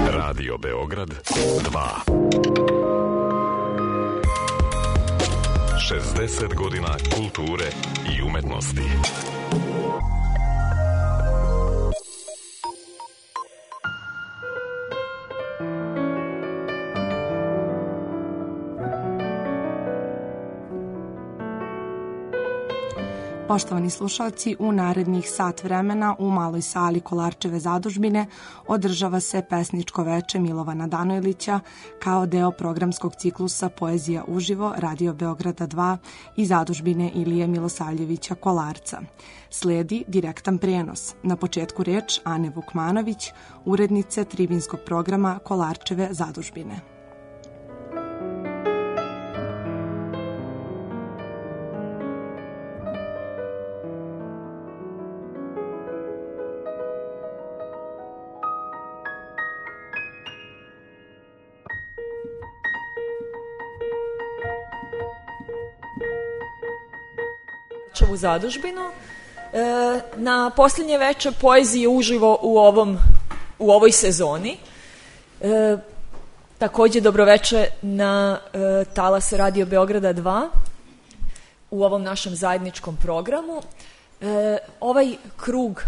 Radio Beograd 2. 60 godina kulture i umetnosti. Poštovani slušalci, u narednih sat vremena u maloj sali Kolarčeve zadužbine održava se pesničko veče Milovana Danojlića kao deo programskog ciklusa Poezija uživo Radio Beograda 2 i zadužbine Ilije Milosavljevića Kolarca. Sledi direktan prenos. Na početku reč Ane Vukmanović, urednice tribinskog programa Kolarčeve zadužbine. U zadužbinu na posljednje veče poezije uživo u ovoj sezoni. Takođe dobroveče na talas Radio Beograda 2 u ovom našem zajedničkom programu. Ovaj krug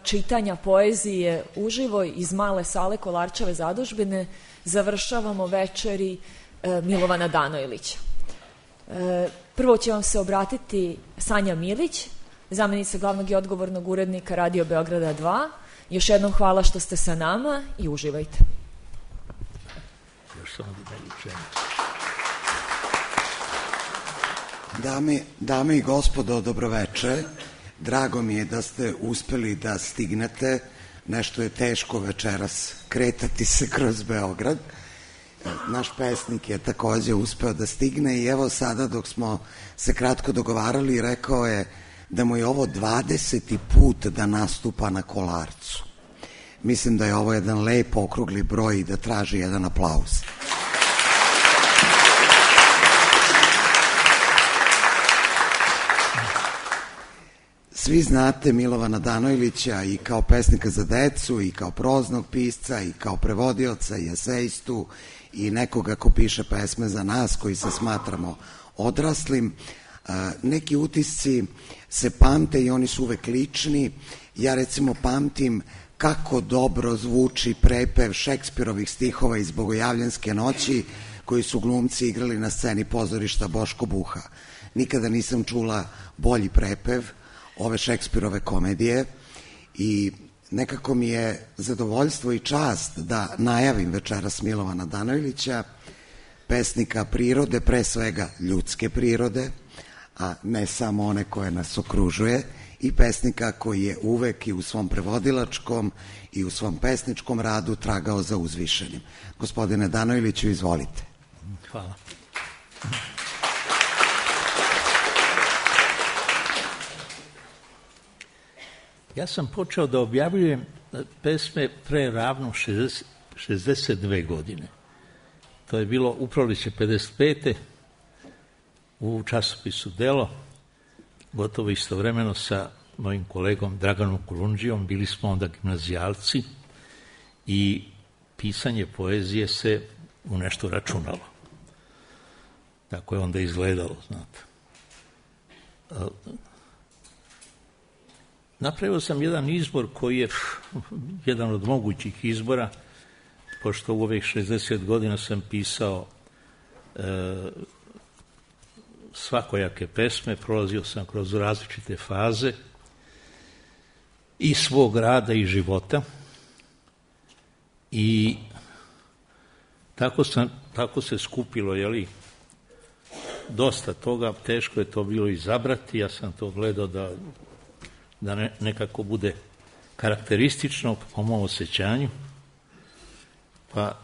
čitanja poezije uživo iz male sale Kolarčeve zadužbine završavamo večeri Milovana Danojlića. Prvo će vam se obratiti Sanja Milić, zamenica glavnog i odgovornog urednika Radio Beograda 2. Još jednom hvala što ste sa nama i uživajte. Dame i gospodo, dobroveče. Drago mi je da ste uspeli da stignete. Nešto je teško večeras kretati se kroz Beograd. Naš pesnik je takođe uspeo da stigne i evo sada dok smo se kratko dogovarali rekao je da mu je ovo 20. put da nastupa na Kolarcu. Mislim da je ovo jedan lep okrugli broj i da traži jedan aplauz. Svi znate Milovana Danojlića i kao pesnika za decu i kao proznog pisca i kao prevodioca i eseistu i nekoga ko piše pesme za nas koji se smatramo odraslim. Neki utisci se pamte i oni su uvek lični. Ja recimo pamtim kako dobro zvuči prepev Šekspirovih stihova iz Bogojavljanske noći koji su glumci igrali na sceni pozorišta Boško Buha. Nikada nisam čula bolji prepev ove Šekspirove komedije i nekako mi je zadovoljstvo i čast da najavim večeras Milovana Danojlića, pesnika prirode, pre svega ljudske prirode, a ne samo one koje nas okružuje, i pesnika koji je uvek i u svom prevodilačkom i u svom pesničkom radu tragao za uzvišenim. Gospodine Danojliću, izvolite. Hvala. Ja sam počeo da objavljujem pesme pre ravno 62 godine. To je bilo u proleće 55. u časopisu Delo, gotovo istovremeno sa mojim kolegom Draganom Kulundžijom. Bili smo onda gimnazijalci i pisanje poezije se u nešto računalo. Tako je onda izgledalo, znate. Napravio sam jedan izbor koji je jedan od mogućih izbora, pošto u ovih 60 godina sam pisao svakojake pesme, prolazio sam kroz različite faze i svog rada i života i tako se skupilo, dosta toga, teško je to bilo izabrati, ja sam to gledao da nekako bude karakteristično po mom osjećanju, pa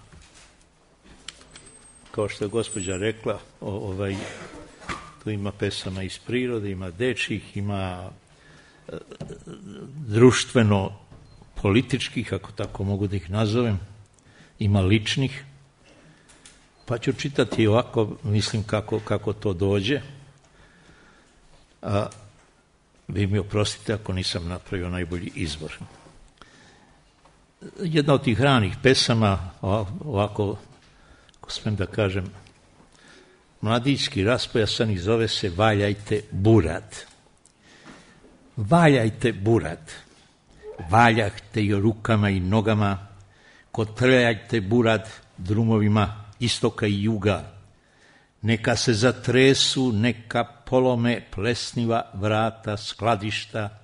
kao što je gospođa rekla, tu ima pesama iz prirode, ima dečjih, ima društveno-političkih, ako tako mogu da ih nazovem, ima ličnih, pa ću čitati ovako, mislim kako to dođe, a vi mi oprostite ako nisam napravio najbolji izbor. jedna od tih ranih pesama, ovako, ako smijem da kažem, mladićki raspojasan i zove se Valjajte burad. Valjajte burad, valjajte i rukama i nogama, kotrljajte burad drumovima istoka i juga, neka se zatresu, neka polome plesniva vrata skladišta,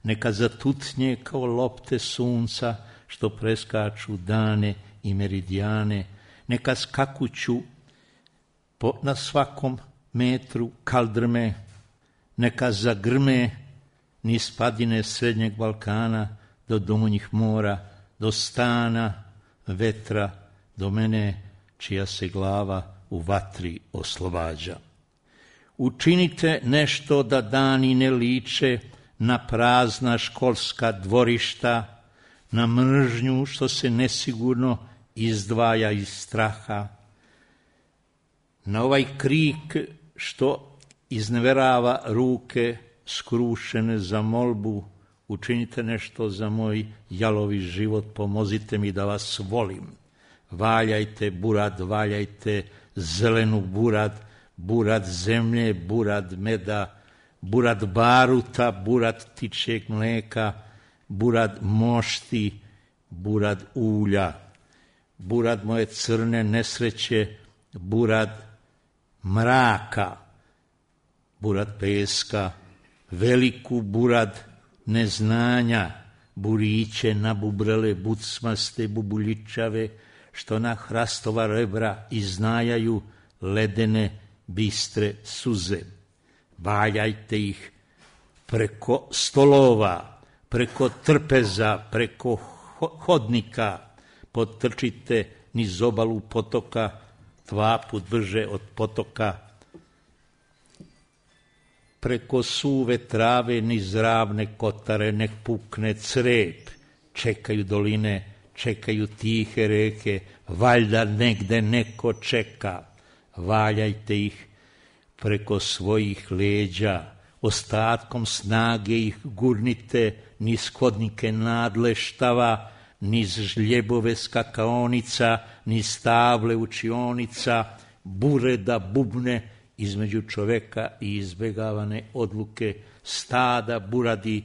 neka zatutnje kao lopte sunca što preskaču dane i meridijane, neka skakuću na svakom metru kaldrme, neka zagrme niz padine Srednjeg Balkana do domunjih mora, do stana vetra, do mene čija se glava u vatri oslobađa. Učinite nešto da dani ne liče na prazna školska dvorišta, na mržnju što se nesigurno izdvaja iz straha, na ovaj krik što izneverava ruke skrušene za molbu. Učinite nešto za moj jalovi život, pomozite mi da vas volim. Valjajte burad, valjajte zelenu burad, burad zemlje, burad meda, burad baruta, burad ptičjeg mleka, burad mošti, burad ulja, burad moje crne nesreće, burad mraka, burad peska, veliku burad neznanja, buriće nabubrele, bucmaste, bubuljičave, što na hrastova rebra iznajaju ledene, bistre suze. Valjajte ih preko stolova, preko trpeza, preko hodnika, potrčite niz obalu potoka, 2 put brže od potoka, preko suve trave niz ravne kotare, nek pukne crep, čekaju doline, čekaju tihe reke, valjda negde neko čeka. Valjajte ih preko svojih leđa, ostatkom snage ih gurnite niz hodnike nadleštava, niz žljebove skakaonica, niz table učionica, bureda bubne između čoveka i izbegavane odluke, stada buradi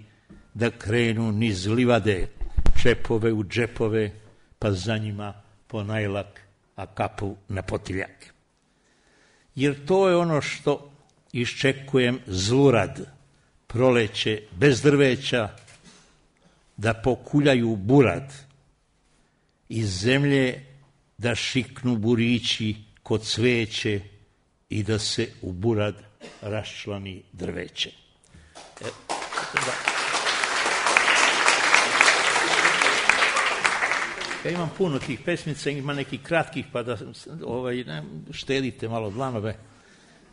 da krenu niz livade, čepove u džepove, pa za njima ponajlak, a kapu na potiljak. Jer to je ono što iščekujem zlurad, proleće bez drveća, da pokuljaju burad, iz zemlje da šiknu burići kod cveće i da se u burad raščlani drveće. Ja imam puno tih pesmica, ima nekih kratkih, pa da štedite malo dlanove,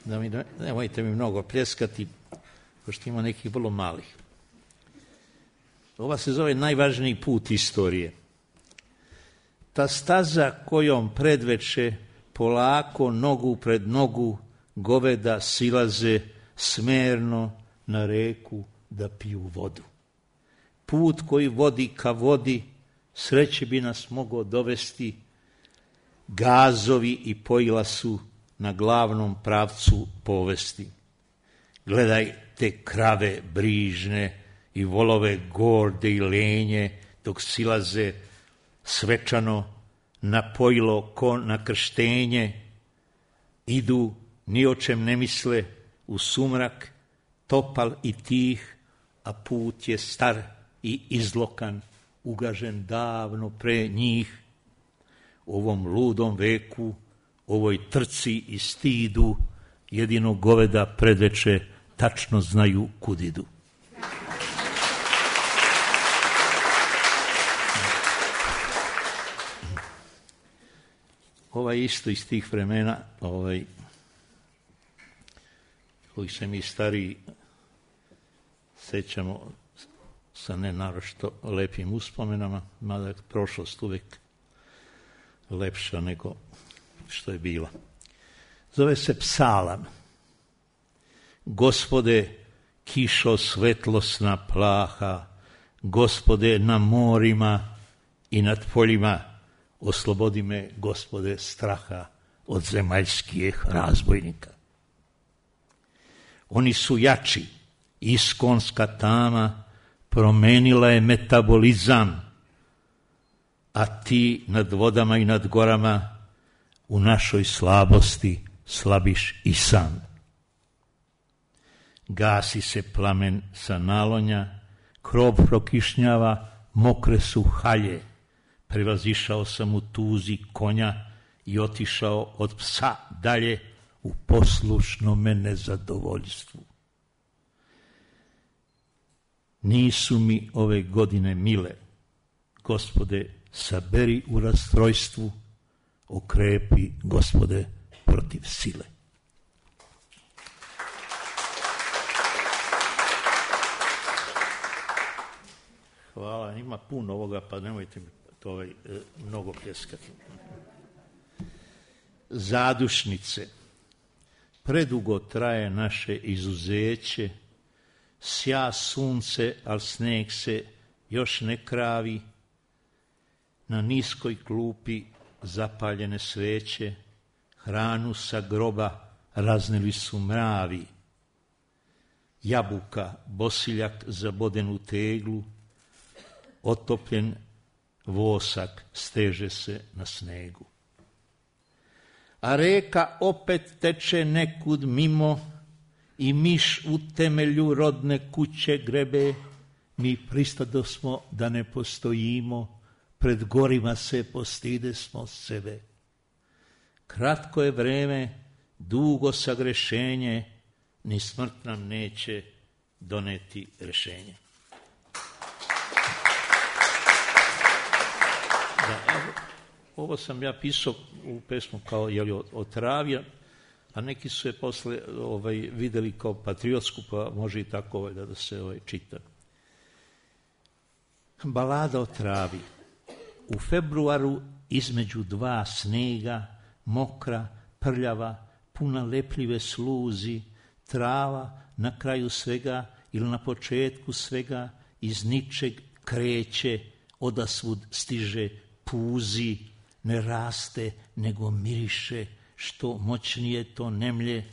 da nemojte mi mnogo pljeskati, pošto ima nekih vrlo malih. Ova se zove Najvažniji put istorije. Ta staza kojom predveče polako nogu pred nogu goveda silaze smerno na reku da piju vodu. Put koji vodi ka vodi sreće bi nas mogao dovesti, gazovi i pojila su na glavnom pravcu povesti. Gledaj te krave brižne i volove gorde i lenje, dok silaze svečano na pojilo ko na krštenje, idu, ni o čem ne misle, u sumrak, topal i tih, a put je star i izlokan, ugažen davno pre njih. U ovom ludom veku, ovoj trci i stidu, jedino goveda predveče tačno znaju kud idu. Isto iz tih vremena, koji se mi stariji sećamo sa nenaročito lepim uspomenama, mada je prošlost uvek lepša nego što je bila. Zove se Psalam. Gospode, kišo svetlosna plaha, Gospode na morima i nad poljima, oslobodi me, Gospode, straha od zemaljskih razbojnika. Oni su jači, iskonska tama promenila je metabolizam, a ti nad vodama i nad gorama u našoj slabosti slabiš i sam. Gasi se plamen sa nalonja, krov prokišnjava, mokre su halje. Prevazišao sam u tuzi konja i otišao od psa dalje u poslušnome nezadovoljstvu. Nisu mi ove godine mile, Gospode, saberi u rastrojstvu, okrepi, Gospode, protiv sile. Hvala, ima puno ovoga, pa nemojte mi to mnogo pljeskati. Zadušnice. Predugo traje naše izuzeće, sja sunce, al sneg se još ne kravi, na niskoj klupi zapaljene sveće, hranu sa groba razneli su mravi. Jabuka, bosiljak zaboden u teglu, otopljen vosak steže se na snegu. A reka opet teče nekud mimo i miš u temelju rodne kuće grebe, mi pristadosmo da ne postojimo, pred gorima se postidesmo sebe. Kratko je vreme, dugo sagrešenje, ni smrt nam neće doneti rešenje. Da, ovo sam ja pisao u pesmu kao o travi, a neki su je posle videli kao patriotsku, pa može i tako da se čita. Balada o travi. U februaru između dva snega, mokra, prljava, puna lepljive sluzi, trava na kraju svega ili na početku svega iz ničeg kreće, odasvud stiže, puzi, ne raste, nego miriše, što moćnije to nemlje,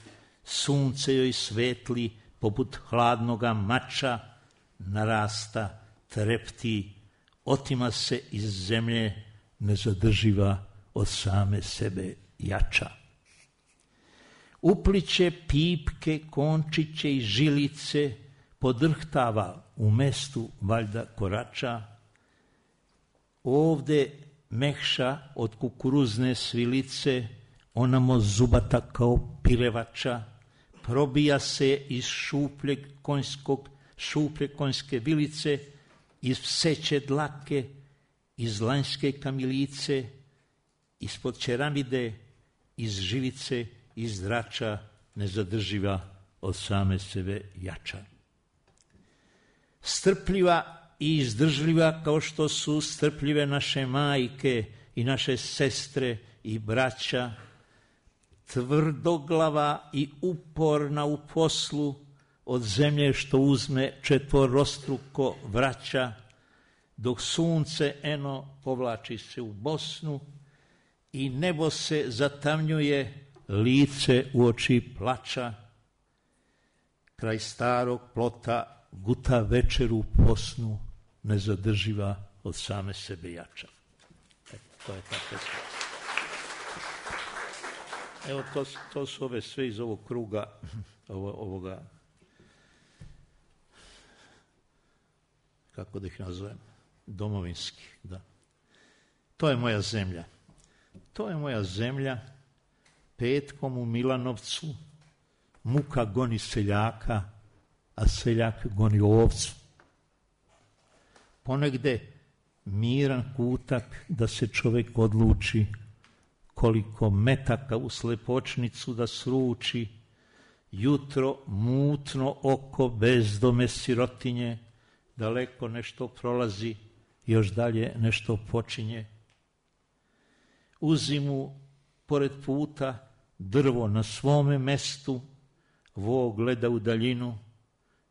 sunce joj svetli poput hladnoga mača, narasta, trepti, otima se iz zemlje, nezadrživa od same sebe jača. Upliće pipke, končiće i žilice, podrhtava u mestu valjda korača, ovde mekša od kukuruzne svilice, onamo zubata kao pilevača, probija se iz šuplje konjske vilice, iz pseće dlake, iz lanjske kamilice, ispod čeramide, iz žilice, iz zrača, nezadrživa od same sebe jača. Strpljiva i izdržljiva kao što su strpljive naše majke i naše sestre i braća, tvrdoglava i uporna u poslu, od zemlje što uzme četvorostruko vraća, dok sunce eno povlači se u Bosnu i nebo se zatamnjuje, lice u oči plača, kraj starog plota guta večeru posnu, nezadrživa od same sebe jača. To je ta pesma. Evo, to su ove sve iz ovog kruga, ovoga, kako da ih nazovem, domovinski, da. To je moja zemlja. To je moja zemlja, petkom u Milanovcu, muka goni seljaka, a seljak goni ovcu. Ponegde miran kutak da se čovjek odluči, koliko metaka u slepočnicu da sruči, jutro mutno oko bezdome sirotinje, daleko nešto prolazi, još dalje nešto počinje. U zimu, pored puta, drvo na svome mestu, vo gleda u daljinu,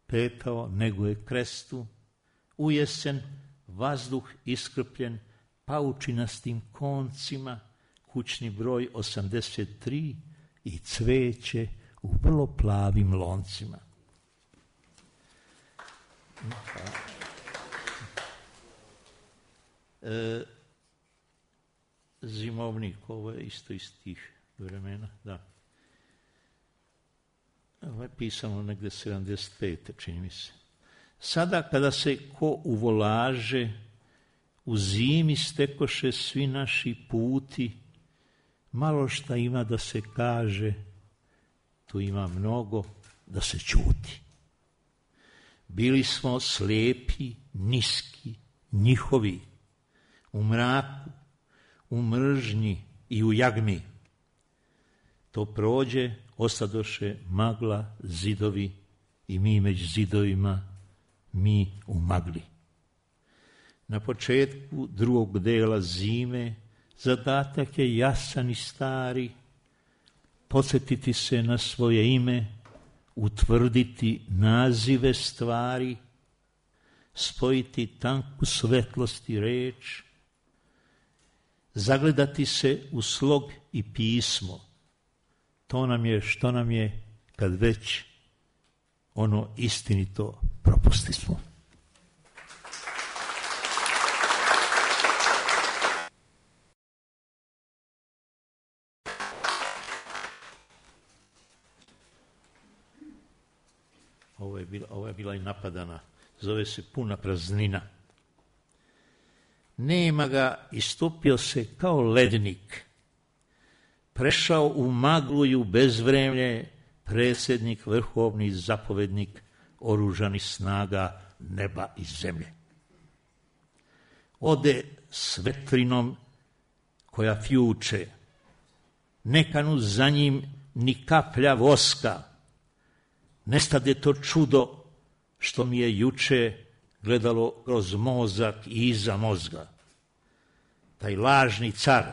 petao neguje krestu. U jesen, vazduh iskrpljen, paučinastim koncima, kućni broj 83 i cveće u vrlo plavim loncima. Zimovnik, ovo je isto iz tih vremena, da. Ovo je pisano negde 75. čini mi se. Sada kada se ko uvolaže, u zimi stekoše svi naši puti, malo šta ima da se kaže, tu ima mnogo da se ćuti. Bili smo slijepi, niski, njihovi, u mraku, u mržnji i u jagmi. To prođe, ostadoše magla, zidovi i mi među zidovima, mi u magli. Na početku drugog dela zime zadatak je jasan i stari, podsjetiti se na svoje ime, utvrditi nazive stvari, spojiti tanku svetlost i reč, zagledati se u slog i pismo. To nam je što nam je kad već ono istinito propustismo. Ovo je bila i napadana. Zove se Puna praznina. Nema ga, istopio se kao lednik. Prešao u maglu i u bezvremlje predsjednik, vrhovni zapovednik oružanih snaga neba i zemlje. Ode s vetrinom koja fjuče, nekanu za njim ni kaplja voska, nestade to čudo što mi je juče gledalo kroz mozak i iza mozga. Taj lažni car,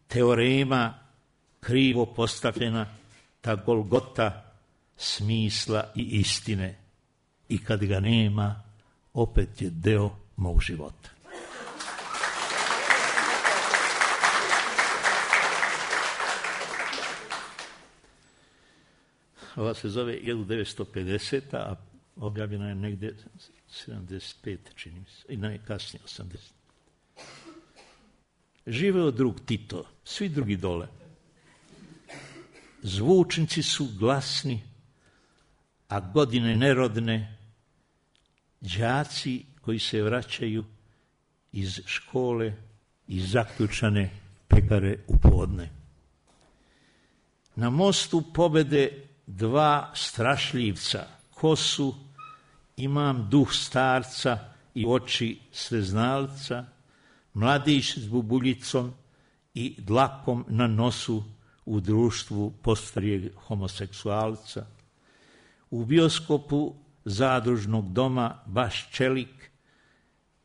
teorema krivo postavljena, ta Golgota smisla i istine. I kad ga nema, opet je deo mog života. Ova se zove 1950. a objavljena je negde 75. čini mi se, i najkasnije 80. Živeo drug Tito, svi drugi dole. Zvučnici su glasni, a godine nerodne, đaci koji se vraćaju iz škole i zaključane pekare u podne. Na mostu pobede dva strašljivca, kosu, imam duh starca i oči sveznalca, mladić s bubuljicom i dlakom na nosu u društvu postarijeg homoseksualca. U bioskopu zadružnog doma baš čelik,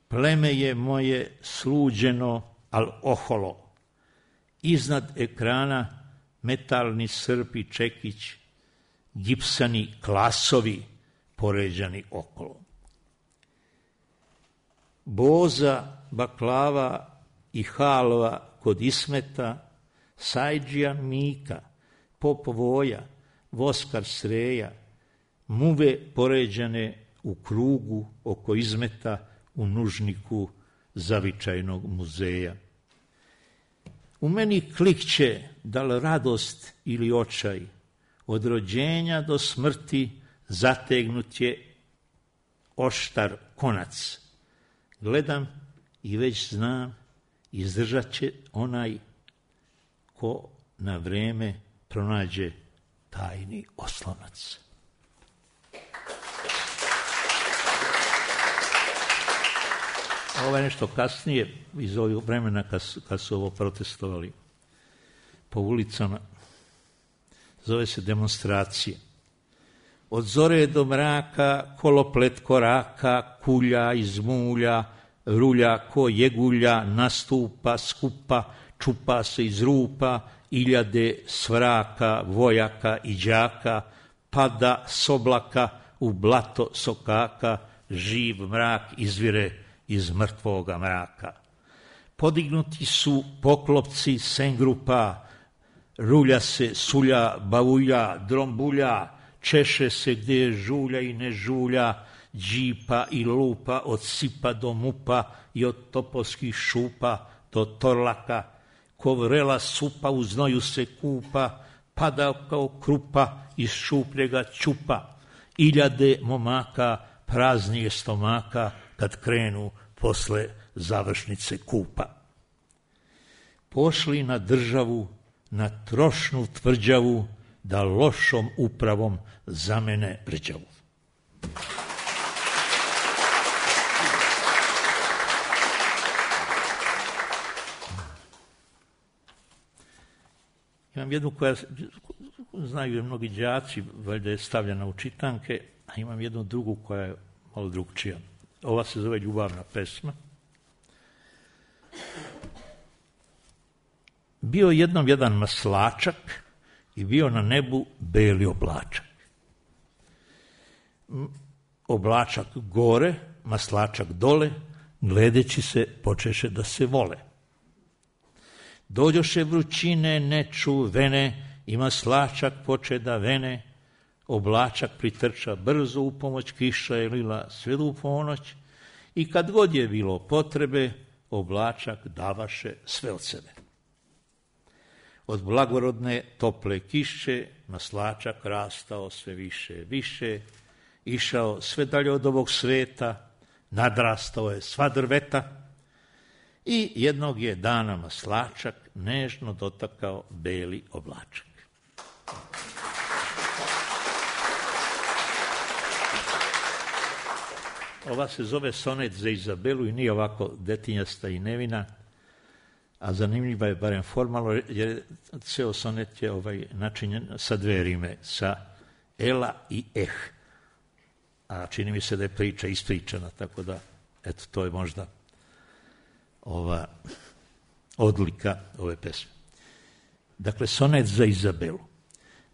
pleme je moje sluđeno, al oholo. Iznad ekrana metalni srp i čekić, gipsani klasovi poređani okolo. Boza, baklava i halva kod Ismeta, Sajđija Mika, Pop Voja, Voskar Sreja, muve poređane u krugu oko Izmeta u nužniku zavičajnog muzeja. U meni klikće da li radost ili očaj, od rođenja do smrti zategnut je oštar konac. Gledam i već znam, izdržat će onaj ko na vreme pronađe tajni oslonac. Ovo je nešto kasnije, iz ovog vremena kad su ovo protestovali po ulicama. Zove se demonstracije. Od zore do mraka, koloplet koraka, kulja iz mulja, rulja ko jegulja, nastupa, skupa, čupa se iz rupa, iljade svraka, vojaka i đaka, pada s oblaka u blato sokaka, živ mrak izvire iz mrtvoga mraka. Podignuti su poklopci sengrupa, rulja se, sulja, bavulja, drombulja, češe se gdje je žulja i ne žulja, džipa i lupa od sipa do mupa i od topovskih šupa do torlaka, ko vrela supa u znoju se kupa, pada kao krupa iz šupljega ćupa, iljade momaka praznije stomaka kad krenu posle završnice kupa. Pošli na državu, na trošnu tvrđavu, da lošom upravom zamene rđavu. Imam jednu koja, znaju je mnogi đaci, valjda je stavljena u čitanke, a imam jednu drugu koja je malo drugčija. Ova se zove Ljubavna pesma. Bio jednom jedan maslačak i bio na nebu beli oblačak. Oblačak gore, maslačak dole, gledeći se počeše da se vole. Dođoše vrućine nečuvene i maslačak poče da vene, oblačak pritrča brzo u pomoć, kiša je lila sve u ponoć i kad god je bilo potrebe, oblačak davaše sve od sebe. Od blagorodne tople kiše maslačak rastao sve više, išao sve dalje od ovog sveta, nadrastao je sva drveta i jednog je dana maslačak nežno dotakao beli oblačak. Ova se zove sonet za Izabelu i nije ovako detinjasta i nevina, a zanimljiva je barem formalno, jer ceo sonet je načinjen sa dve rime, sa ela i a čini mi se da je priča ispričana, tako da, eto, to je možda ova odlika ove pesme. Dakle, sonet za Izabelu.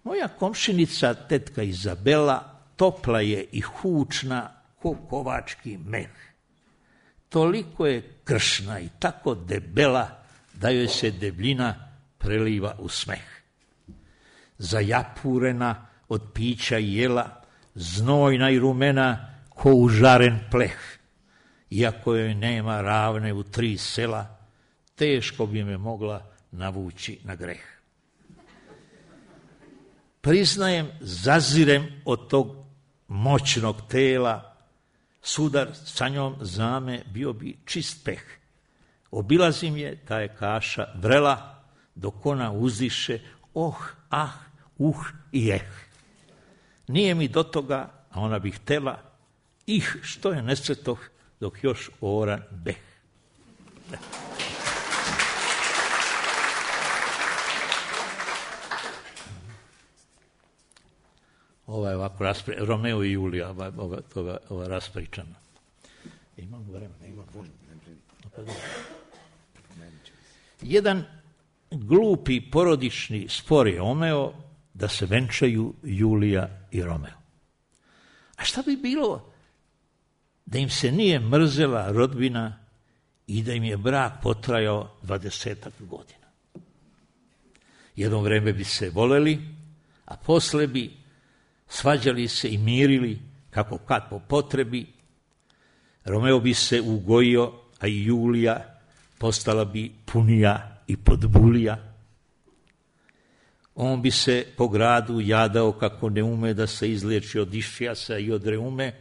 Moja komšinica, tetka Izabela, topla je i hučna ko kovački meh. Toliko je kršna i tako debela da joj se debljina preliva u smeh. Zajapurena od pića i jela, znojna i rumena ko užaren pleh. Iako joj nema ravne u 3 sela, teško bi me mogla navući na greh. Priznajem, zazirem od tog moćnog tela, sudar sa njom zame bio bi čist peh. Obilazim je, ta je kaša vrela, dok ona uziše, i Nije mi do toga, a ona bi htela, što je nesretoh, dok još oran beh. Ova je ovako Romeo i Julija, ova raspričana. Imam vremena, imam vremena. Jedan glupi porodični spor je omeo da se venčaju Julija i Romeo. A šta bi bilo da im se nije mrzela rodbina i da im je brak potrajao 20 godina? Jedno vreme bi se voleli, a posle bi svađali se i mirili kako kad po potrebi. Romeo bi se ugojio, a i Julija postala bi punija i podbulija. On bi se po gradu jadao kako ne ume da se izleči od išijasa i od reume.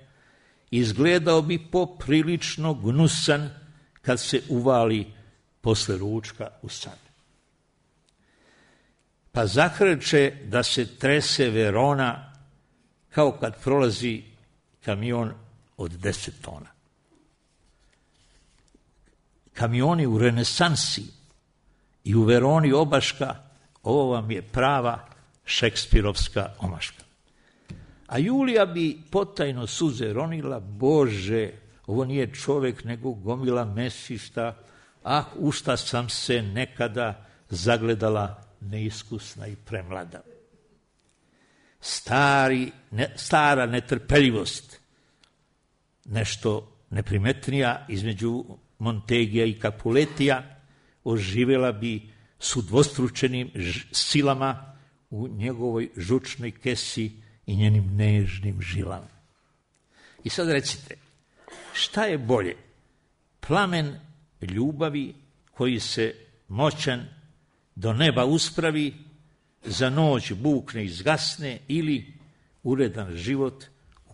Izgledao bi poprilično gnusan kad se uvali posle ručka u san. Pa zahrče da se trese Verona kao kad prolazi kamion od 10 tona. Kamioni u renesansi i u Veroni obaška, ovo vam je prava šekspirovska omaška. A Julija bi potajno suze ronila, Bože, ovo nije čovek nego gomila mesišta, u šta sam se nekada zagledala neiskusna i premlada. Stara netrpeljivost, nešto neprimetnija između Montegija i Capuletija, oživjela bi s udvostručenim silama u njegovoj žučnoj kesi i njenim nežnim žilama. I sad recite, šta je bolje? Plamen ljubavi koji se moćan do neba uspravi, za noć bukne i zgasne, ili uredan život u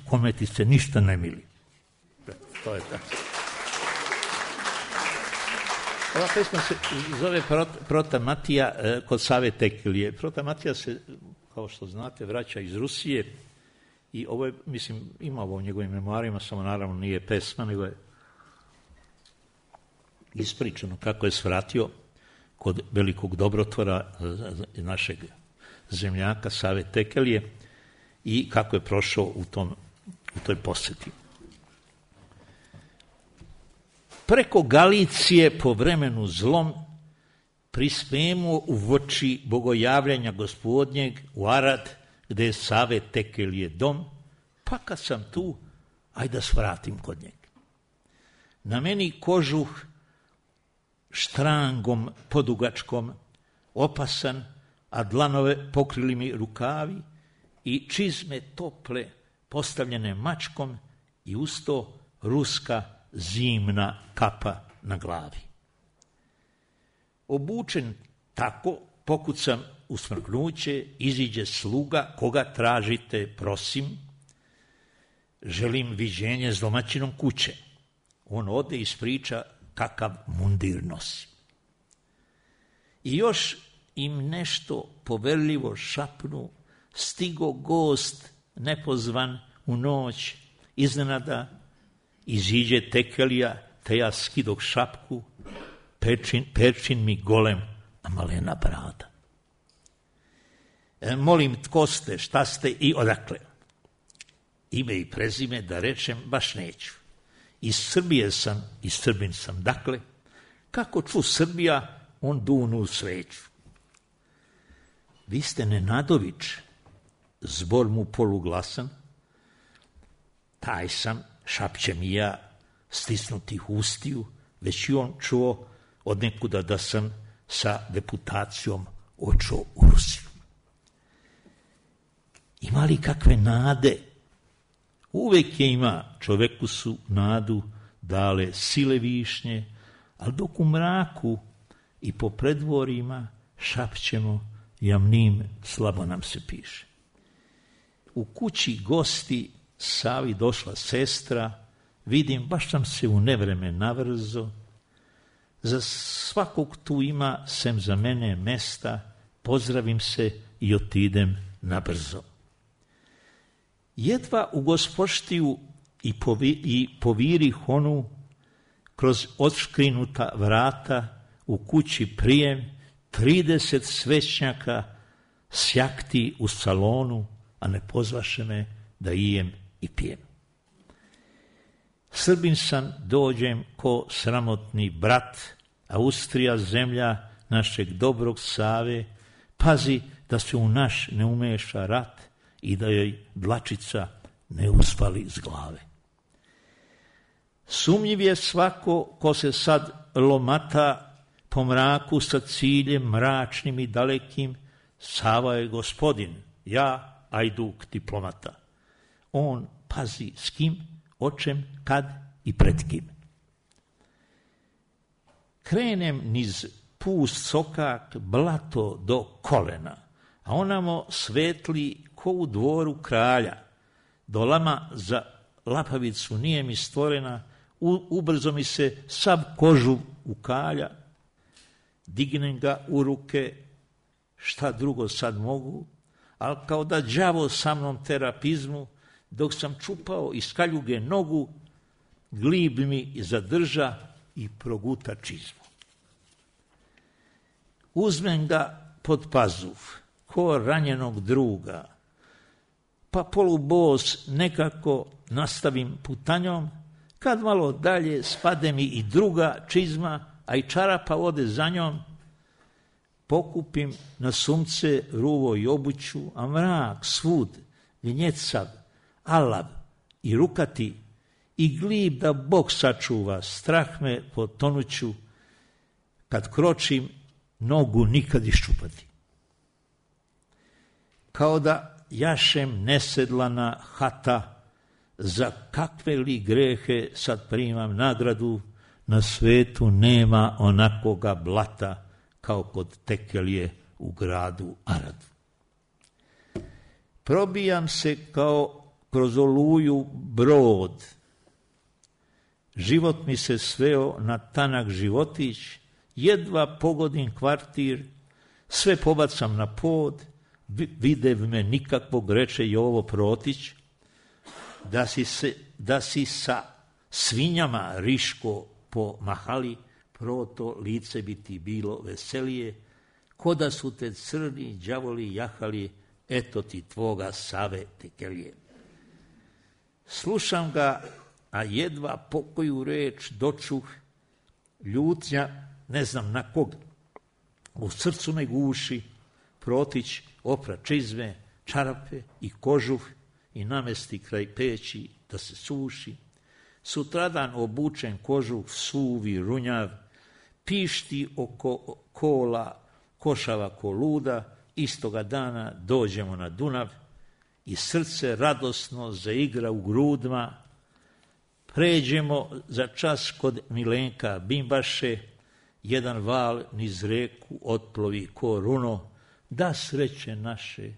kome ti se ništa ne mili. To je tako. Ova pesma se zove Prota Matija kod Save Tekelije. Prota Matija se, kao što znate, vraća iz Rusije i ovo je, mislim, ima ovo u njegovim memoarima, samo naravno nije pesma, nego je ispričano kako je svratio kod velikog dobrotvora našeg zemljaka Save Tekelije i kako je prošao u toj posjeti. Preko Galicije po vremenu zlom prispemo u voči bogojavljanja Gospodnjeg u Arad, gde je Save Tekelije dom, pa kad sam tu, ajde da svratim kod njega. Na meni kožuh štrangom podugačkom opasan, a dlanove pokrili mi rukavi i čizme tople postavljene mačkom i usto ruska zimna kapa na glavi. Obučen tako, pokucam u smrknuće, iziđe sluga, koga tražite, prosim, želim viđenje s domaćinom kuće. On ode i ispriča kakav mundir nosi. I još im nešto poverljivo šapnu, stigo gost nepozvan u noć, iznenada iziđe Tekelija, te ja skidog šapku, perčin mi golem, a malena brada. Molim, tko ste, šta ste i odakle? Ime i prezime da rečem baš neću. Iz Srbije sam i Srbin sam, dakle, kako ču Srbija, on dunu sveću. Vi ste Nenadović, zbor mu poluglasan, taj sam, šapćem i ja, stisnutih ustiju, već i on čuo od nekuda da sam sa deputacijom očeo u Rusiju. Ima li kakve nade? Uvek je ima, čoveku su nadu dale sile višnje, ali dok u mraku i po predvorima šapćemo, jamnim slabo nam se piše. U kući gosti Savi došla sestra, vidim, baš sam se u nevreme navrzo, za svakog tu ima, sem za mene, mesta, pozdravim se i otidem nabrzo. Jedva u gospoštiju i povirih onu, kroz odškrinuta vrata, u kući prijem, 30 svećnjaka sjakti u salonu, a ne pozvaše me da ijem i pijem. Srbin sam, dođem ko sramotni brat, Austrija zemlja našeg dobrog Save, pazi da se u naš ne umeša rat i da joj dlačica ne uspali z glave. Sumnjiv je svako ko se sad lomata po mraku sa ciljem mračnim i dalekim, Sava je gospodin, ja ajduk diplomata. On pazi s kim, o čem, kad i pred kim. Krenem niz pust sokak, blato do kolena, a onamo svetli ko u dvoru kralja. Dolama za lapavicu nije mi stvorena, ubrzo mi se sav kožu ukalja. Dignem ga u ruke, šta drugo sad mogu, ali kao da đavo sa mnom terapizmu, dok sam čupao iz kaljuge nogu, glib mi zadrža i proguta čizmu. Uzmem ga pod pazuf, ko ranjenog druga, pa polubos nekako nastavim putanjom, kad malo dalje spade mi i druga čizma, a i čarapa ode za njom, pokupim na sumce ruvo i obuću, a mrak svud, gnjecav, alav i rukati, i glib da Bog sačuva, strah me potonuću, kad kročim, nogu nikad iščupati. Kao da jašem nesedlana hata, za kakve li grehe sad primam nagradu, na svetu nema onakoga blata, kao kod Tekelije u gradu Aradu. Probijam se kao kroz oluju brod, život mi se sveo na tanak životić, jedva pogodim kvartir, sve pobacam na pod, videv me nikakvog, reče Jovo Protić, da si sa svinjama Riško po mahali, proto lice bi ti bilo veselije, ko da su te crni đavoli jahali, eto ti tvoga Save Tekelije. Slušam ga, a jedva pokoju reč dočuh, ljutnja, ne znam na kog, u srcu me guši. Protić opra čizme, čarape i kožuh i namesti kraj peći da se suši. Sutradan obučen kožuh suvi runjav, pišti oko kola, košava ko luda, istoga dana dođemo na Dunav i srce radosno zaigra u grudma. Pređemo za čas kod Milenka Bimbaše, jedan val niz reku otplovi ko runo, da sreće naše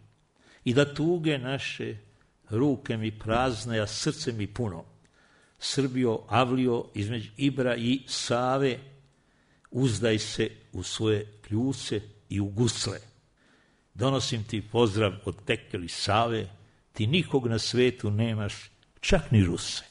i da tuge naše, ruke mi prazne, a srce mi puno. Srbijo, Avlio, između Ibra i Save, uzdaj se u svoje kljuce i u gusle. Donosim ti pozdrav od Tekeli Save, ti nikog na svetu nemaš, čak ni Ruse.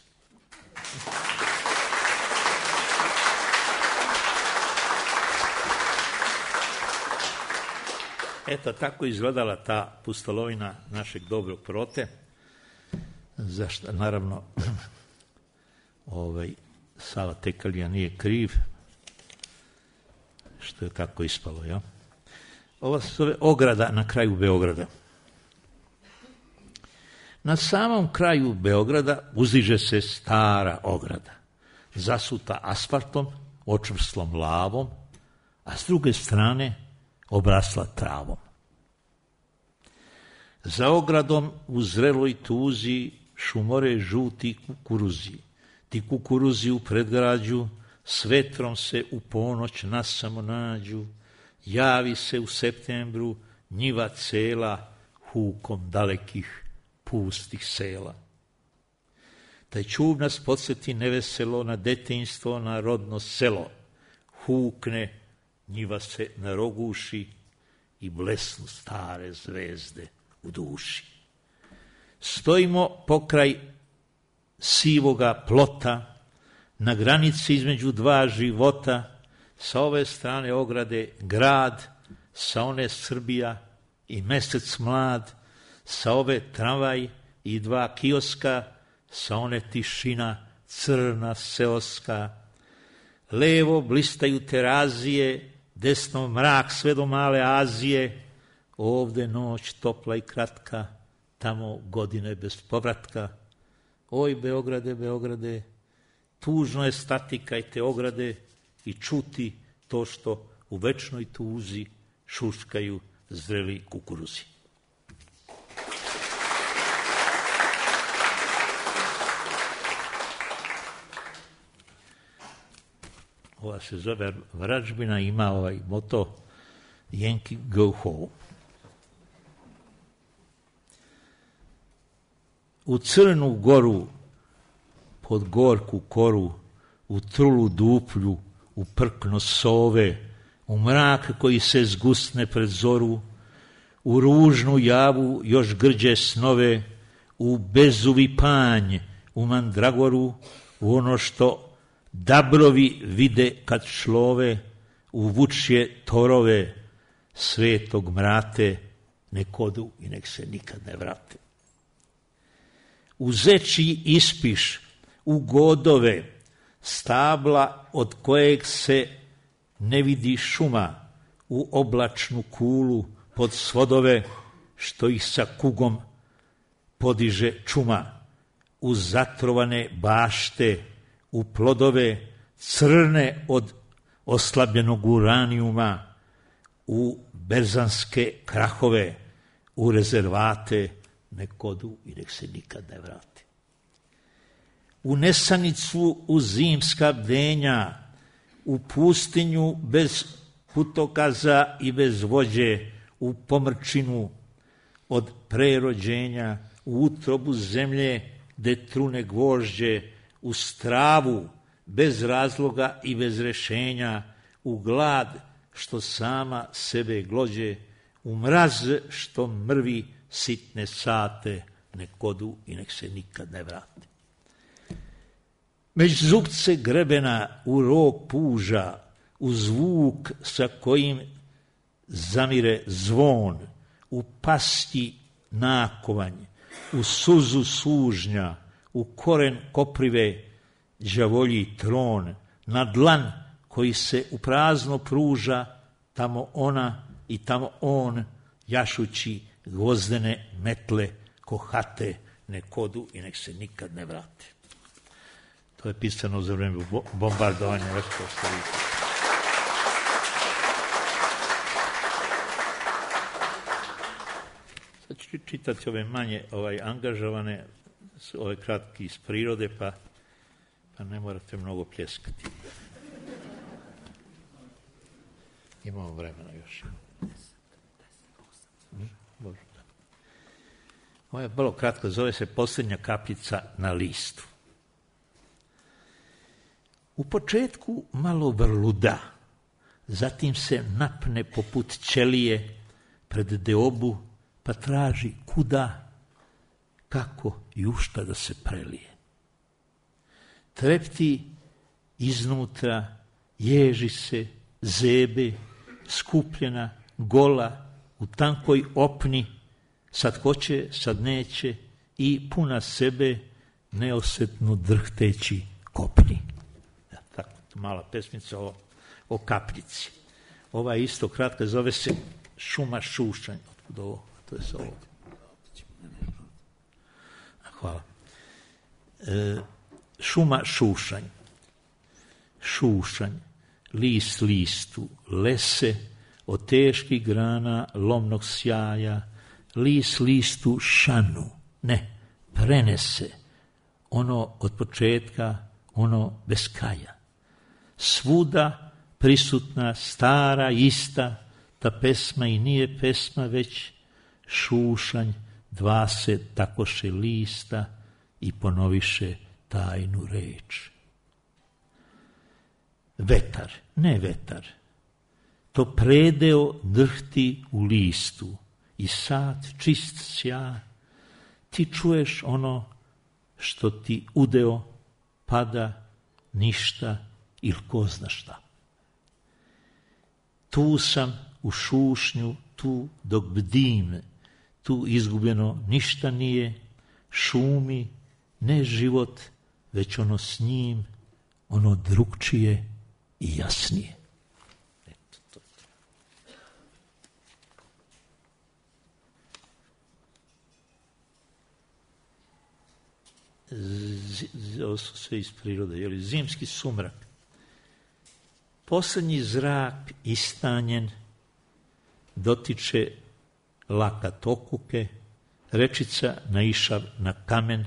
Eto, tako izgledala ta pustolovina našeg dobrog Prote, zašto, naravno, Sava Tekelija nije kriv, što je tako ispalo, ja? Ova se zove ograda na kraju Beograda. Na samom kraju Beograda uzdiže se stara ograda, zasuta asfaltom, očvrslom lavom, a s druge strane obrasla travom. Za ogradom u zreloj tuzi šumore žuti kukuruzi. Ti kukuruzi u predgrađu s vetrom se u ponoć nasamo nađu. Javi se u septembru njiva cela hukom dalekih pustih sela. Taj čub nas podsjeti neveselo na detinjstvo, na rodno selo. Hukne, njiva se naroguši i blesnu stare zvezde u duši. Stojimo pokraj sivoga plota, na granici između dva života, sa ove strane ograde grad, sa one Srbija i mesec mlad, sa ove tramvaj i dva kioska, sa one tišina crna seoska. Levo blistaju terazije, desno mrak sve do male Azije, ovde noć topla i kratka, tamo godine bez povratka. Oj, Beograde, Beograde, tužno je stati kraj te ograde i čuti to što u večnoj tuzi šuškaju zreli kukuruzi. Ova se zove Vračbina, ima ovaj moto Yankee go home. U Crnu Goru, pod gorku koru, u trulu duplju, u prkno sove, u mrak koji se zgusne pred zoru, u ružnu javu još grđe snove, u bezuvi panj, u mandragoru, u ono što dabrovi vide kad šlove, u vučje torove svetog mrate, nek odu i nek se nikad ne vrate. U zečji ispiš, u godove, stabla od kojeg se ne vidi šuma, u oblačnu kulu pod svodove, što ih sa kugom podiže čuma, u zatrovane bašte, u plodove crne oslabljenog uranijuma u berzanske krahove, u rezervate, nek odu i nek se nikad ne vrati. U nesanicu, u zimska bdenja, u pustinju bez putokaza i bez vođe, u pomrčinu od prerođenja, u utrobu zemlje gde trune gvožđe, u stravu bez razloga i bez rešenja, u glad što sama sebe glođe, u mraz što mrvi sitne sate, nek odu i nek se nikad ne vrate. Među zubce grebena, u rog puža, u zvuk sa kojim zamire zvon, u pasti nakovanj, u suzu sužnja, u koren koprive đavolji tron, na dlan koji se u prazno pruža, tamo ona i tamo on, jašući gvozdene metle kohate, nek odu i nek se nikad ne vrate. To je pisano za vreme bombardovanja Kostarike. Sad ću čitati ove manje angažovane, ove kratki iz prirode, pa ne morate mnogo pljeskati. Imamo vremena još. Ovo je vrlo kratko, zove se Posljednja kapljica na listu. U početku malo vrluda, zatim se napne poput ćelije pred deobu, pa traži kuda, kako i u šta da se prelije. Trepti iznutra, ježi se, zebe, skupljena, gola, u tankoj opni, sad hoće, sad neće i puna sebe, neosetno drhteći kopni. Tako, mala pesmica o kapljici. Ova je isto kratka, zove se Šuma šušanj. Otkud ovo? To je se ovo. Hvala. Šuma šušanj. Šušanj, list listu, lese, od teških grana lomnog sjaja, list listu šanu, ne, prenese, ono od početka, ono bez kraja. Svuda prisutna, stara, ista, ta pesma i nije pesma, već šušanj, dva se takoše lista i ponoviše tajnu reč. Vetar, ne vetar, to predeo drhti u listu i sad čist sja, ti čuješ ono što ti udeo pada ništa ili ko zna šta. Tu sam u šušnju, tu dok bdim, tu izgubljeno ništa nije, šumi, ne život, već ono s njim, ono drugčije i jasnije. Ovo su sve iz prirode, zimski sumrak. Poslednji zrak istanjen dotiče lakat okuke, rečica naišav na kamen,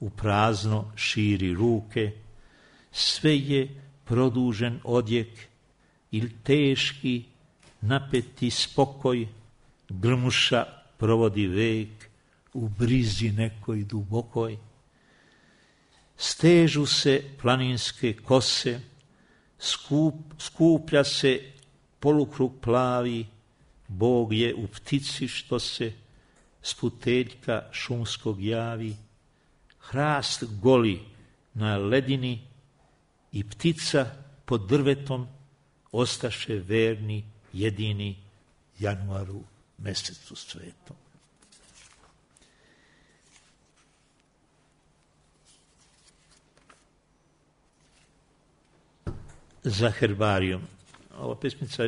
u prazno širi ruke, sve je produžen odjek ili teški, napeti spokoj, grmuša provodi vek u brizi nekoj dubokoj. Stežu se planinske kose, skuplja se polukrug plavi, Bog je u ptici što se s puteljka šumskog javi, hrast goli na ledini i ptica pod drvetom ostaše verni jedini januaru mesecu svetom. Za herbarijom. Ova pesmica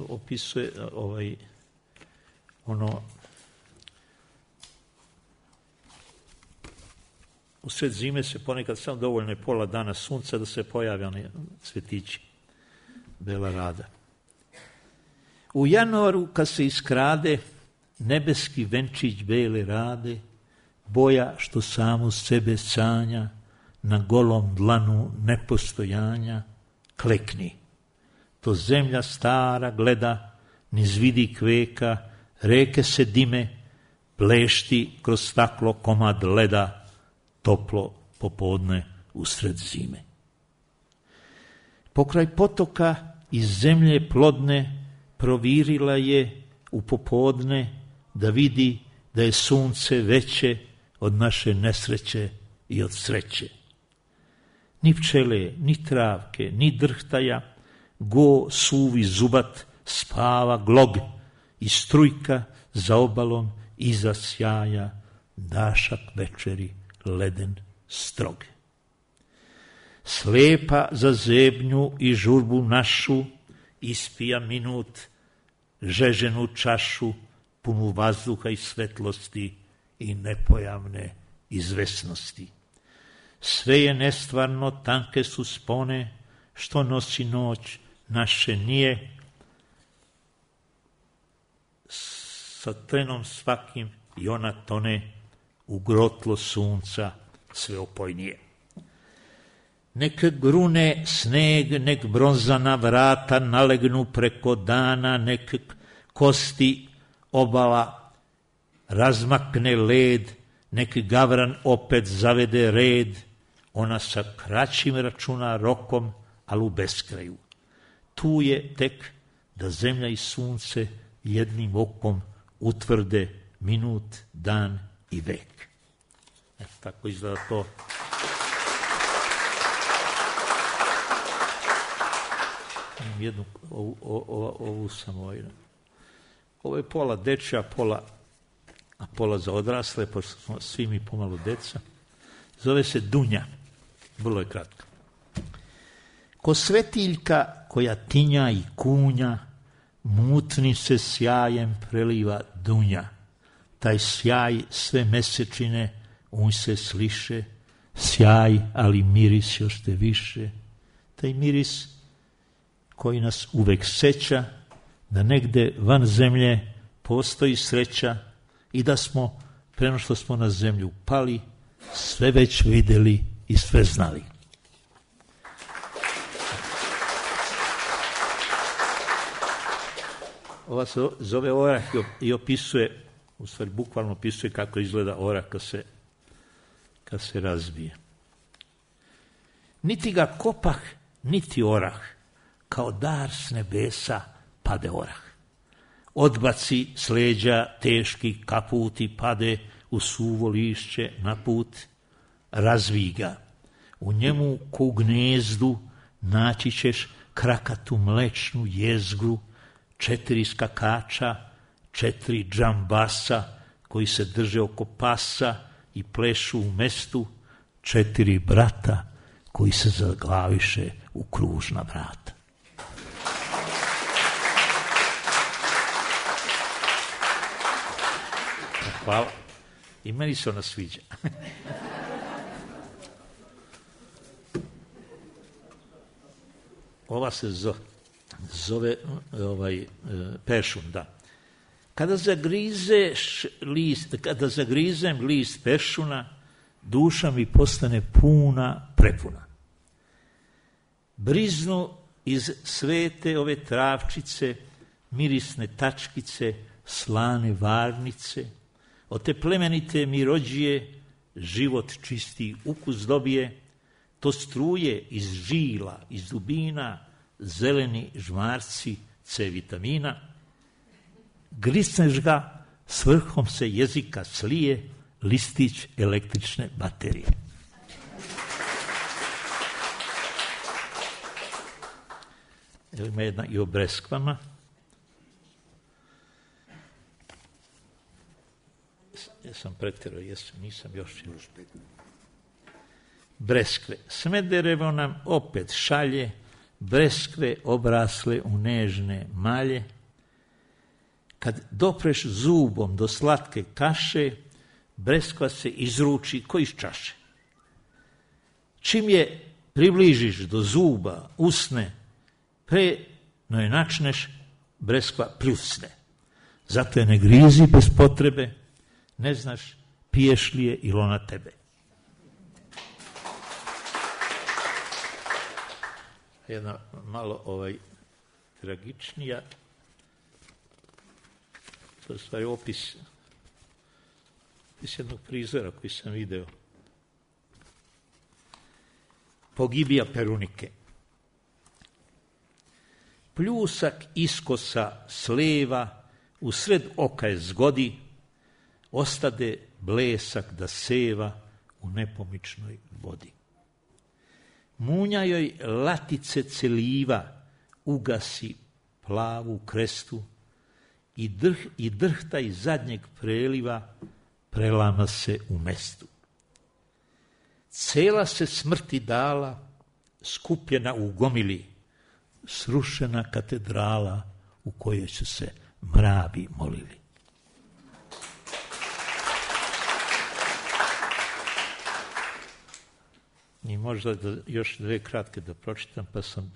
opisuje u sred zime se ponekad samo dovoljno je pola dana sunca da se pojave one cvetići. Bela Rada. U januaru kad se iskrade nebeski venčić bele rade, boja što samo sebe sanja, na golom dlanu nepostojanja, klekni. To zemlja stara gleda, niz vidi kveka, reke se dime, blešti kroz staklo komad leda, toplo popodne usred zime. Pokraj potoka iz zemlje plodne provirila je u popodne da vidi da je sunce veće od naše nesreće i od sreće. Ni pčele, ni travke, ni drhtaja, go suvi zubat spava glog i strujka za obalom iza sjaja, dašak večeri leden strog. Slepa za zebnju i žurbu našu ispija minut žeženu čašu, punu vazduha i svetlosti i nepojavne izvesnosti. Sve je nestvarno, tanke su spone, što nosi noć naše nije, sa trenom svakim i ona tone u grotlo sunca sve opojnije. Nek grune sneg, nek bronzana vrata nalegnu preko dana, nek kosti obala razmakne led, nek gavran opet zavede red, ona sa kraćim računa rokom, ali u beskraju. Tu je tek da zemlja i sunce jednim okom utvrde minut, dan i vek. Tako izgleda to. Jednu, ovu sam ovo je pola dečja, a pola za odrasle, pošto smo svi mi pomalo deca. Zove se Dunja, vrlo je kratka. Ko svetiljka koja tinja i kunja, mutnim se sjajem preliva Dunja. Taj sjaj sve mesečine u se sliše, sjaj, ali miris još te više. Taj miris koji nas uvek seća da negde van zemlje postoji sreća i da smo, prema što smo na zemlju pali, sve već videli i sve znali. Ova se zove orah i opisuje, u stvari bukvalno opisuje kako izgleda orah kad se razbije. Niti ga kopah, niti orah, kao dar s nebesa pade orah. Odbaci s leđa teški kaput i pade u suvo lišće na put, razvij ga. U njemu ko u gnezdu naći ćeš krakatu mlečnu jezgru, 4 skakača, 4 džambasa koji se drže oko pasa i plešu u mestu, 4 brata koji se zaglaviše u kružna vrata. Hvala. I meni se ona sviđa. Ova se zove peršun, da. Kada zagrizem list peršuna, duša mi postane puna, prepuna. Briznu iz svete ove travčice, mirisne tačkice, slane varnice, od te plemenite mi rođije, život čisti ukus dobije, to struje iz žila, iz dubina, zeleni žmarci C vitamina, grisneš ga, s vrhom se jezika slije listić električne baterije. Evo ima jedna i o breskvama. Jesam pretjerao, nisam još. Breskve. Smederevo nam opet šalje, breskve obrasle u nežne malje. Kad dopreš zubom do slatke kaše, breskva se izruči ko iz čaše. Čim je približiš do zuba, usne, pre no je načneš, breskva pljusne. Zato je ne grizi bez potrebe, ne znaš piješ li je ili ona tebe. Jedna malo tragičnija, to je stvari opis jednog prizora koji sam video. Pogibija Perunike. Pljusak iskosa sleva, u sred oka je zgodi, ostade blesak da seva u nepomičnoj vodi. Munja joj latice celiva, ugasi plavu krestu i drhta iz zadnjeg preliva prelama se u mestu. Cela se smrti dala, skupljena u gomili, srušena katedrala u kojoj su se mravi molili. I možda još dve kratke da pročitam, pa sam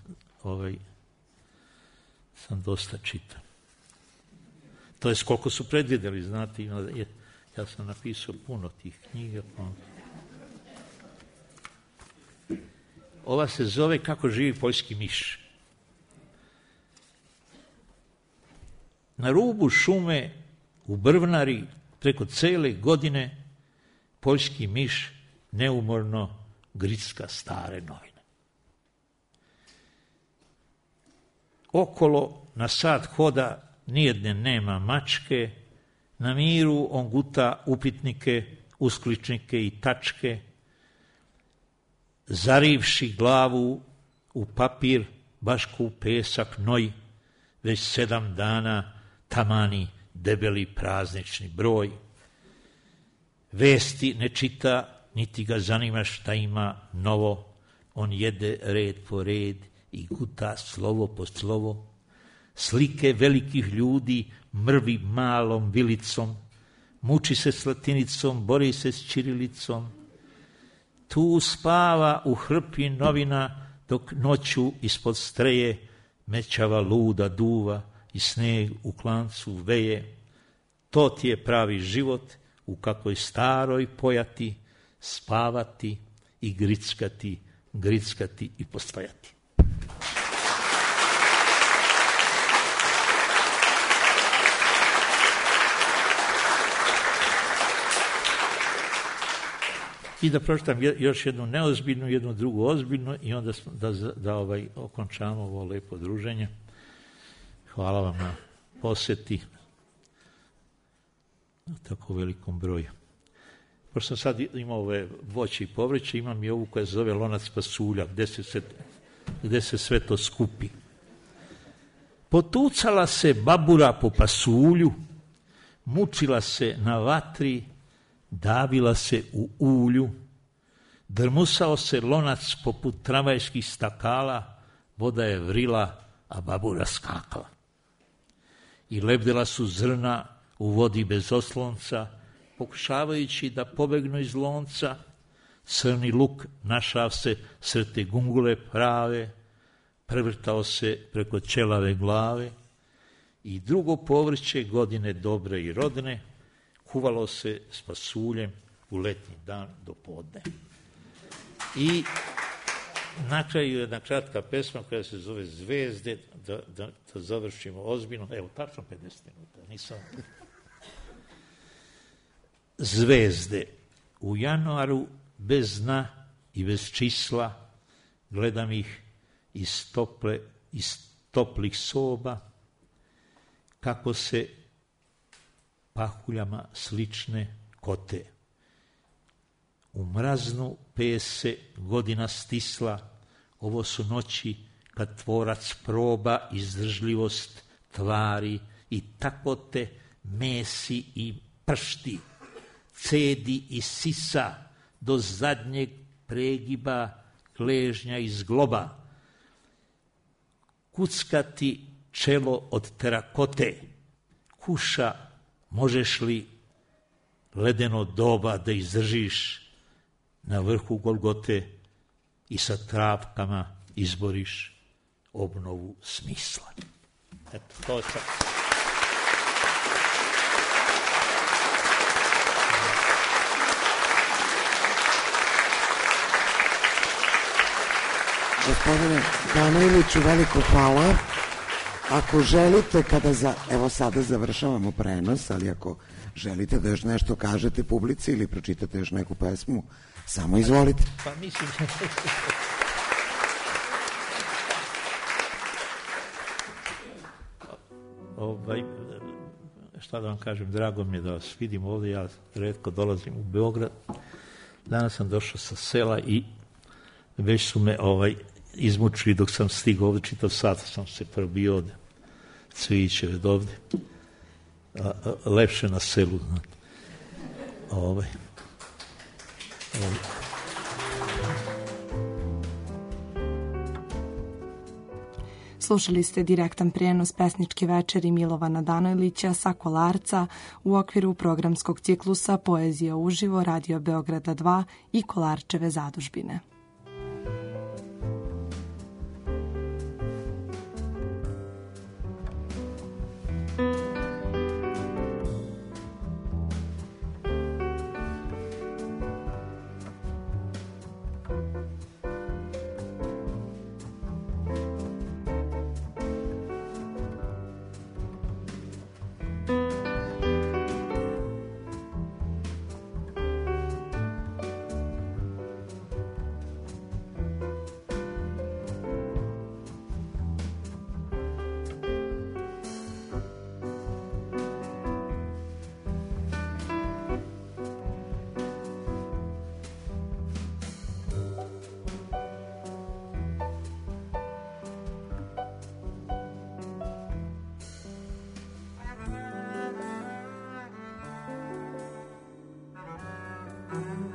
dosta čitan. To je koliko su predvidjeli, znate, ja sam napisao puno tih knjiga. Ova se zove Kako živi poljski miš. Na rubu šume u Brvnari preko cele godine poljski miš neumorno gricka stare novine. Okolo na sat hoda nijedne nema mačke, na miru on guta upitnike, uskličnike i tačke, zarivši glavu u papir, baš ko u pesak noj, već 7 dana tamani debeli praznični broj. Vesti ne čita, niti ga zanima šta ima novo, on jede red po red i guta slovo po slovo. Slike velikih ljudi mrvi malom vilicom, muči se s latinicom, bori se s ćirilicom. Tu spava u hrpi novina, dok noću ispod streje mećava luda duva i sneg u klancu veje. To ti je pravi život u kakvoj staroj pojati, spavati i grickati i postvajati. I da pročitam još jednu neozbiljnu, jednu drugu ozbiljnu i onda da okončamo ovo lepo druženje. Hvala vam na posjeti na tako velikom broju. Pošto sam sad imao ove voće i povrće, imam i ovu koja se zove lonac pasulja, gde se sve to skupi. Potucala se babura po pasulju, mučila se na vatri, davila se u ulju, drmusao se lonac poput tramvajskih stakala, voda je vrila, a babura skakala. I lebdela su zrna u vodi bez oslonca, pokušavajući da pobegnu iz lonca. Crni luk našao se sred te gungule prave, prevrtao se preko ćelave glave i drugo povrće godine dobre i rodne kuvalo se s pasuljem u letnji dan do podne. I na kraju jedna kratka pesma koja se zove Zvezde, da završimo ozbiljno. Evo, tačno 50 minuta, nisam... Zvezde. U januaru bez dna i bez čisla gledam ih iz toplih soba, kako se pahuljama slične kote. U mraznu pese godina stisla, ovo su noći kad tvorac proba izdržljivost tvari i tako te mesi i pršti, cedi i sisa do zadnjeg pregiba gležnja iz globa. Kuckati čelo od terakote, kuša, možeš li ledeno doba da izdržiš na vrhu Golgote i sa travkama izboriš obnovu smisla. Eto, to je sad. Gospodine Danojliću, veliko hvala. Ako želite, evo sada završavamo prenos, ali ako želite da još nešto kažete publici ili pročitate još neku pesmu, samo izvolite. Pa mislim... šta da vam kažem, drago mi je da vas vidim ovdje, ja retko dolazim u Beograd. Danas sam došao sa sela i već su me izmučili dok sam stigao ovdje, čitav sat sam se probio od Cvijićeve do ovdje. Lepše na selu. Slušali ste direktan prijenos pesničke večeri Milovana Danojlića sa Kolarca u okviru programskog ciklusa Poezija uživo Radio Beograda 2 i Kolarčeve zadužbine. Mm-hmm.